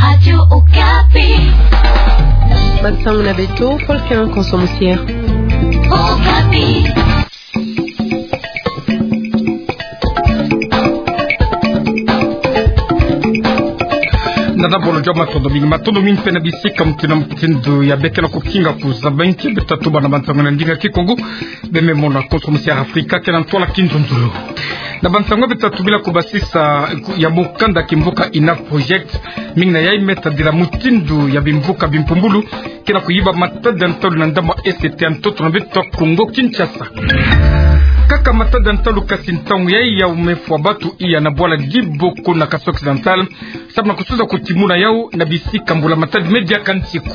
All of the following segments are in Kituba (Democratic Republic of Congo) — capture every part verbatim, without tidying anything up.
Radio Okapi. Bansangu na beto, Paul Kerin Konso Musier. Okapi. Nana bolo joma, matondo mingi, matondo mingi mpe na bisika mutindu na mutindu ya beke na kukinga kuzaba nki beto tatuba na bansangu na ndinga Kikongo. Bememona Konso Musier Afrika, ke na ntwala kinzonzolo. Na bansangu beto tatubila kubasisa ya mukanda kimvuka Enough Project, mingi na yai me tadila mutindu ya bimvuka bimpumbulu ke na kuyiba matadi ya ntalu na ndambu ya E C T ya ntoto na beto Kongo Kinshasa. Kaka matadi ya ntalu, kasi ntangu yai yau me fwa batu iya na bwala Diboko na Kasaï Occidental, samu na kusuza kutimuna yau na bisika mbula matadi me diaka nsiku.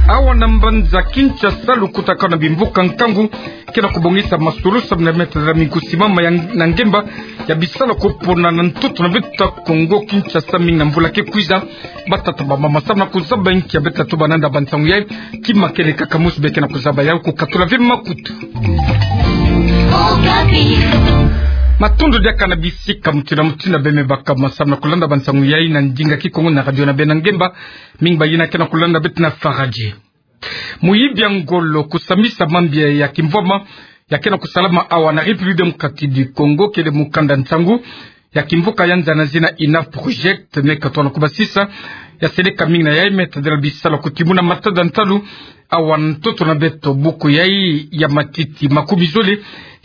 Awa na mbanza Kinshasa, lukutakanu na bimvuka nkangu ke na kubongisa masolo samu na me tadila minkusi mama ya, na ngemba ya bisalu ya kupona na ntoto na beto Kongo Kinshasa, mingi na mvula ke kwiza. Batata, bamama, samu na kuzaba nki ya beto tatuba na nda bansangu yai, kima kele kaka mosi beke na kuzaba yau, kukatula ve makutu. Matondo diaka na bisika mutindu na mutindu ya beno me baka masamu na kulanda bansangu yai na ndinga Kikongo na radio na beno na ngemba. Mingi bayina ke na kulanda beto na Faradje. Muyibi ya ngolo kusambisa mambi ya kimvwama ya ke na kusalama awa na République Démocratique du Congo, kele mukanda nsangu ya kimvuka ya nza na zina Enough Project, me katona kubasisa ya seleka mingi na yai me tadila bisalu ya kutimuna matadi ya ntalu awa na ntoto na beto. Buku yai ya matiti makumi zole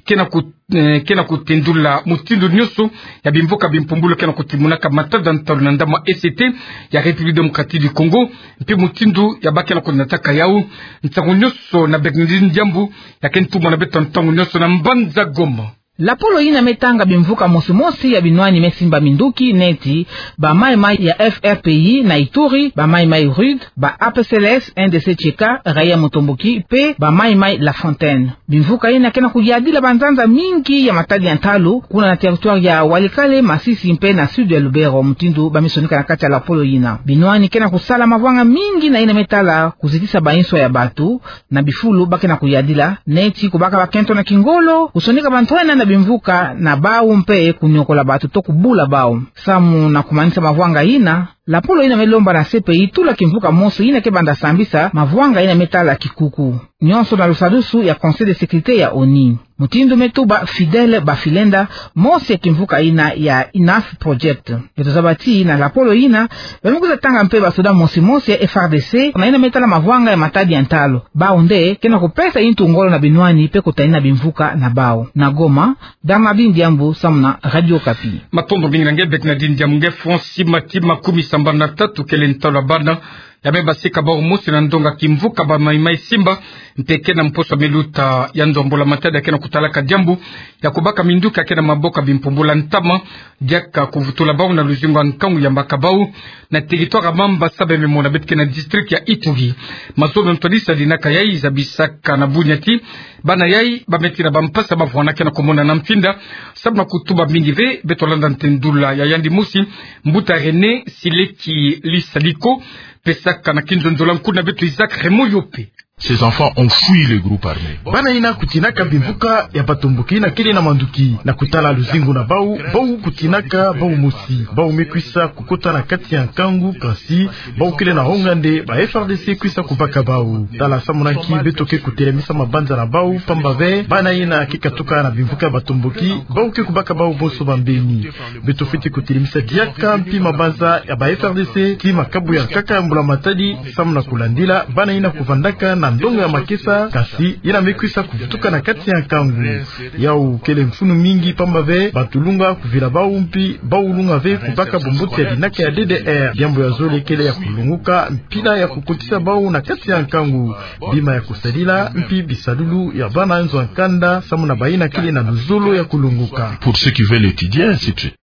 ke na ku-, eh, ke na kutendula mutindu nyonso ya bimvuka bimpumbulu ke na kutimunaka matadi ya ntalu na ndambu ya E C T ya République Démocratique du Congo, mpe mutindu ya ba ke na kunataka yau. Nsangu nyonso na Bernardine Diambu, ya ke ntumwa na beto ntangu nyonso na mbanza Goma. Lapolo yina me tanga bimvuka mosi mosi ya binwani me simba minduki neti bamayi-mayi ya F R P I na Ituri, bamayi-mayi RUD, ba A P C L S, N D C Cheka, Raïa Mutomboki, mpe bamayi-mayi La Fontaine. Bimvuka yina ke na kuyadila banzanza mingi ya matadi ya ntalu, kuna na territoire ya Walikale, Masisi, mpe na sud ya Lubero, mutindu ba me sonika na kati ya lapolo yina. Binwani ke na kusala mavwanga mingi na yina me tala kuzitisa bainso ya batu na bifulu ba ke na kuyadila, neti kubaka bakento na kingolo, kusonika bantwenya na bimvuka na bau, mpe kunyokola batu to kubula bau. Samu na kumanisa mavwanga yina, lapolo yina me lomba na C P I tula kimvuka mosi yina ke banda sambisa mavwanga yina me tala kikuku. Nyonso na lusadusu ya Conseil de sécurité ya ONU. Mutindu me tuba Fidèle Bafilenda, mosi ya kimvuka yina ya Enough Project. Beto zaba ti na lapolo yina, ba me kwiza tanga mpe basoda mosi mosi ya F R D C na yina me tala mavwanga ya matadi ya ntalu. Bau nde ke na kupesa yintu ngolo na binwani mpe kutanina bimvuka na bau. Na Goma, Bernardine Diambu, samu na Radio Okapi. Matondo mingi na nge Bernardine Diambu. Nge Francis Matima, kumi sambanu na tatu, kele ntalu ya bana ya me basika bau mosi na ndonga kimvuka bamayi-mayi Simba, mpe ke na mposo me luta ya ndombolo matadi ya ke na kutalaka diambu ya kubaka minduki ya ke na maboko ya bimpumbulu ya ntama, diaka kuvutula bau na luzingu ya nkangu ya mbaka bau na territoire ya Mambasa, bememona beto ke na district ya Ituri. Mazono ntwadisa dinaka yai zabisaka na bunya ti bana yai ba me tina bampasi ya bavwanda ke na kumonana mfinda, samu na kutuba mingi ve. Beto landa ntendula ya yandi mosi, mbuta René Sileki Lisaliko, pesaka na kinzonzolo ya nkuna beto Isaac Raymond Yope. Ces enfants ont fui le groupe armé. Bana yina kutinaka bimvuka ya batomboki yina kele na manduki na kutala luzingu na bau, bau kutinaka bau mosi. Bau me kwisa kukota na kati ya nkangu, kansi bau kele na honga nde ba F R D C kwisa kubaka bau. Tala samu na nki beto ke kutelemisa mabanza na bau, pamba ve bana yina ke katuka na bimvuka ya batomboki, bau ke kubaka bau bonso bambeni. Beto fweti kutelemisa diaka mpi mabanza ya ba F R D C ti makabu ya nkaka ya mbula matadi, samu na kulandila bana yina kuvandaka na ndonga ya makesa, kansi yina me kwisa kuvutuka na kati ya nkangu. Yau kele mfunu mingi, pamba ve bantu lunga kuvila bau mpi bau lunga ve kubaka bumbote ya dinaka ya D D R. Diambu ya zole kele ya kulunguka mpila ya kukotisa bau na kati ya nkangu, bima ya kusadila mpi bisalulu ya bana nzo ya nkanda, samu na bayina kele na luzolo ya kulunguka. Pour ceux qui veulent étudier, ainsi de suite.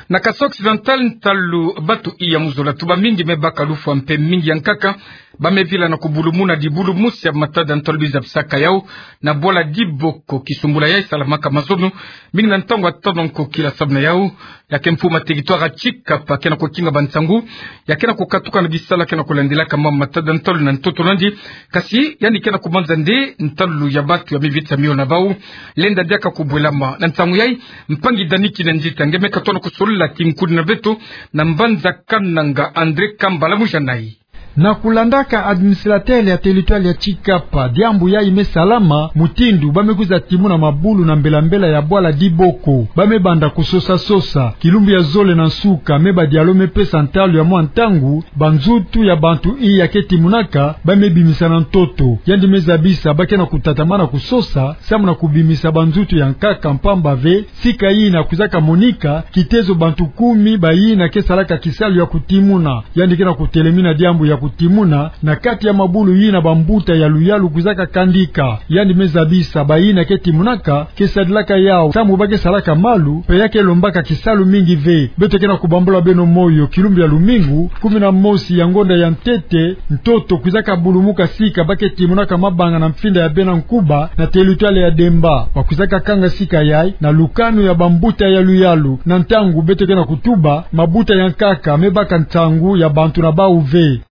Na Kasaï Occidental, ntalu batu iya mu zola, tuba mingi me baka lufwa mpe mingi ya nkaka Ba me vila na kubulumuna dibulu mosi ya matada ntolo bizabisaka yau na bwala Diboko. Kisumbula yai salamaka mazono mingi na ntangu ya tano nko kila samu na yau. Ya ke mfumu ya territoire ya Tshikapa ke na kukinga bansangu ya ke na kukatuka na bisalu ke na kulandilaka mama matada ntolo na ntoto na yandi. Kasi yandi ke na kubanza nde ntalu ya batu ya mivitisa mio na bau. Lenda diaka kubwelama na nsangu yai. Mpangi Dani Kinanzita nge me katono kusolula kinkuni na beto na mbanza Kananga André Kambala Mujanai. Na kulandaka administrateur ya territoire ya Tshikapa, diambu yai me salama mutindu ba me kwiza timuna mabulu na mbela-mbela ya bwala Diboko. Ba me banda kusosa-sosa. Kilumbu ya zole na nsuka, me badialu me pesa ntalu ya mwa ntangu, banzutu ya bantu iya ke timunaka ba me bimisa na ntoto. Yandi me zabisa ba ke na kutatamana kusosa samu na kubimisa banzutu ya nkaka, mpamba ve sika yina kwizaka monika kitezo bantu kumi bayina ke salaka kisalu ya kutimuna. Yandi ke na kutelemina diambu ya kutimuna na kati ya mabulu yina bambuta ya luyalu kwizaka kandika. Yandi me zabisa bayina ke timunaka ke sadilaka yau samu ba ke salaka malu, mpe ya ke lombaka kisalu mingi ve. Beto ke na kubambula beno moyo, kilumbu ya lumingu kumi na mosi ya ngonda ya ntete, ntoto kwizaka bulumuka sika ba ke timunaka mabanga na mfinda ya bena nkuba na territoire ya Demba. Ba kwizaka kanga sika yai na lukanu ya bambuta ya luyalu. Na ntangu beto ke na kutuba, mabuta ya nkaka me baka nsangu ya bantu na bau ve.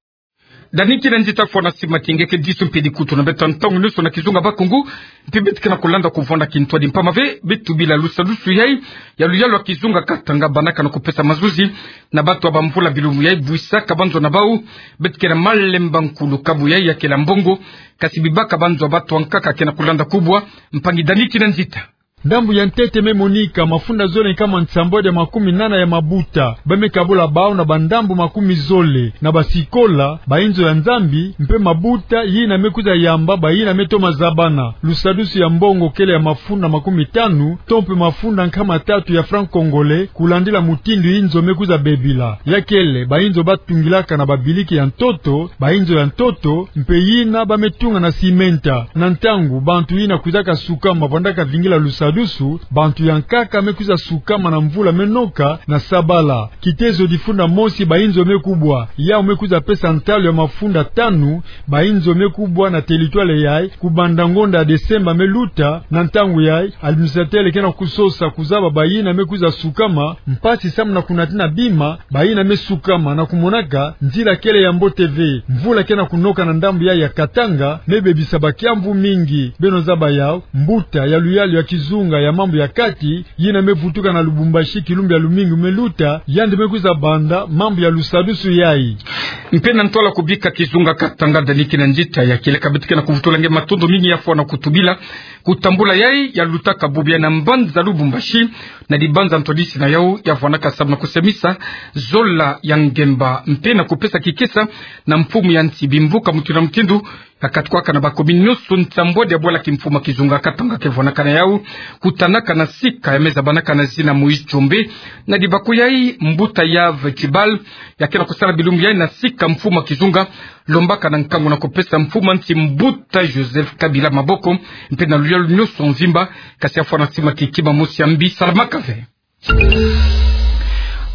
Dani Kinanzita, fwana sima ti nge ke disu mpe dikutu na beto ntangu nionso na kizunga Bakongo. Mpe beto ke na kulanda kuvwanda kintwadi mpamba ve beto bila lusadusu yai ya luyalu ya kizunga Katanga bandaka na kupesa mazuzi na batu ya bamvula bilumbu yai bwisaka banzo na bau. Beto ke na malemba nkulu kabu yai ya kela mbongo, kasi bibaka banzo ya batu ya nkaka ke na kulanda kubwa. Mpangi Dani Kinanzita. Ndambu ya ntete me monika mafunda zole nkama nsambwadi ya makumi nana ya mabuta. Ba me kabula bau na bandambu makumi zole, na basikola, bainzo ya Nzambi, mpe mabuta yina me kwiza yamba bayina me toma zabana. Lusadusu ya mbongo kele ya mafunda makumi tanu, to mpe mafunda nkama tatu ya franc congolais, kulandila mutindu inzo me kwiza bebila. Ya kele bainzo ba tungilaka na babiliki ya ntoto, bainzo ya ntoto, mpe yina ba me tunga na simenta. Na ntangu bantu yina kwizaka sukama bandaka vingila lusadusu, bantu ya nkaka me kwiza sukama na mvula me noka na sabala. Kitezo difunda mosi bainzo me kubwa, yau me kwiza pesa ntalu ya mafunda tanu, bainzo me kubwa na territoire yai, kubanda ngonda ya Desemba me luta. Na ntangu yai, administrateur ke na kusosa kuzaba bayina me kwiza sukama, mpasi samu na kunatina bima, bayina me sukama na kumonaka nzila kele ya mbote ve. Mvula ke na kunoka na ndambu yai ya Katanga, me bebisa bakiamvu mingi. Beno zaba yau, mbuta ya luyalu ya kizunga ya mambu ya kati, yina me vutuka na Lubumbashi kilumbu ya lumingu me luta, yandi me kwiza banda mambu ya lusadusu yai. Mpe na ntwala kubika kizunga Katanga, Dani Kinanzita, ya kieleka beto ke na kuvutula nge matondo mingi ya fwana kutubila kutambula yai ya lutaka bubu yai na mbanza Lubumbashi, na dibanza ntwadisi na yau ya fwanaka samu na kusemisa zola ya ngemba mpe na kupesa kikesa na mfumu ya nsi. Bimvuka mutindu na mutindu ya katukwaka na bakomini nionso nsambwadi ya bwala kimfumu ya kizunga Katanga ke fwanaka na yau, kutanaka na sika ya me zabanaka na zina Moïse Tshombe. Na dibaku yai, mbuta Yave Tshibal ya ke na kusala bilumbu yai na sika mfumu ya kizunga, lombaka na nkangu na kupesa mfumu ya nsi mbuta Joseph Kabila maboko, mpe na luyalu nionso mvimba. Kasi ya fwana sima ti kima mosi ya mbi salamaka ve.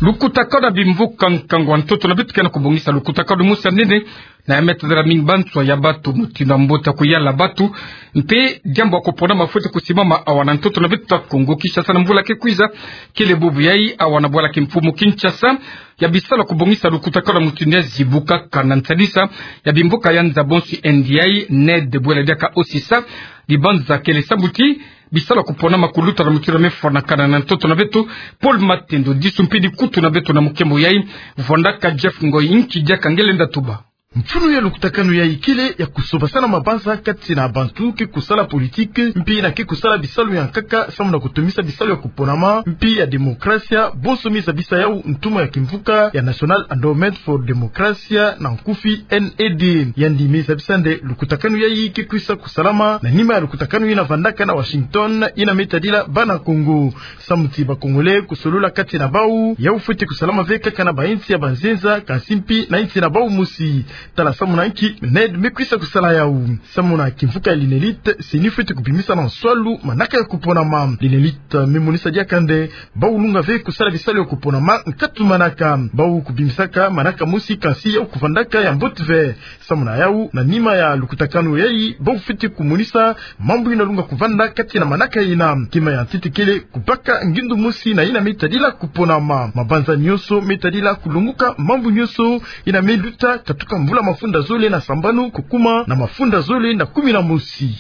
Lukutakanu ya bimvuka nkangu ya ntoto na beto ke na kubongisa lukutakanu mosi ya nene, na ya me tadila mingi banswa ya batu, mutindu ya mbote ya kuyala batu, mpe diambu ya kupona mafweti kusimama awa na ntoto na beto ya Kongo Kinshasa na mvula ke kwiza. Kele bubu yai awa na bwala kimfumu Kinshasa, ya bisalu ya kubongisa lukutakanu ya mutindu yai zibukaka na nsadisa ya bimvuka ya nza bonso, indi yai NED, bwela diaka osisa. Dibanza kele sambu ti bisalu ya kupona makuluta na mutindu ya me fwanakana na ntoto na beto. Paul Matendo, disu mpe dikutu na beto na mukembo yai, vwandaka Jeff Ngoi. Nki diaka nge lenda tuba? Mfunu ya lukutakanu yai kele ya kusobasana mabanza kati na bantu ke kusala politique, mpi na ke kusala bisalu ya nkaka, samu na kutomisa bisalu ya kuponama, mpi ya demokrasia, bonso me zabisa yau ntumwa ya kimvuka ya National Endowment for Democracy, na nkufi NED. Yandi me zabisa nde lukutakanu yai ke kwisa kusalama na nima ya lukutakanu yina vandaka na Washington, yina me tadila bana Kongo. Samu ti ba Congolais kusolola kati na bau, yau fweti kusalama ve kaka na ba insi ya banzenza, kasi mpi na insi na bau mosi. Tala samuna nki MENED me kwisa kusala yau. Samuna kimvuka ya l'INELIT, CENI fwete kubimisa na nswalu manaka ya kuponama. L'INELIT me monisa diaka nde bau lunga ve kusala bisalu ya kuponama nkatu manaka. Bau kubimisaka manaka mosi kansi yau kuvandaka ya mbote ve. Samuna yau, na nima ya lukutakanu yayi, bau fwete kumonisa mambu ina lunga kuvanda kati na manaka ina. Kima ya ntete kele kubaka ngindu mosi na ina me tadila kuponama. Mabanza nyonso me tadila kulonguka mambu nyonso ina me luta katuka mvula mafunda zole na sambanu kukuma na mafunda zole na kumi na mosi.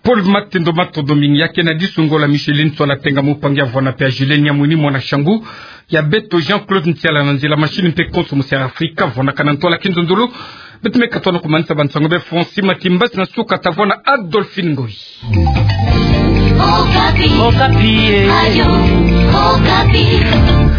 Paul Matendo, matondo mingi. Ya ke na disungola Micheline Ntsoila Tenga, mupangi ya Vwanape, Julien Nyamwini mwana Shangu, ya beto Jean-Claude Ntiala na nzila machine mpe konso mu Sierra Africa, vwanakana ntwala kinzonzolo. Beto me katono kumanisa bansango be Francis Matimbas na suka tavwana Adolphine Ngoyi. Okapi. Okapi, eh. Radio Okapi.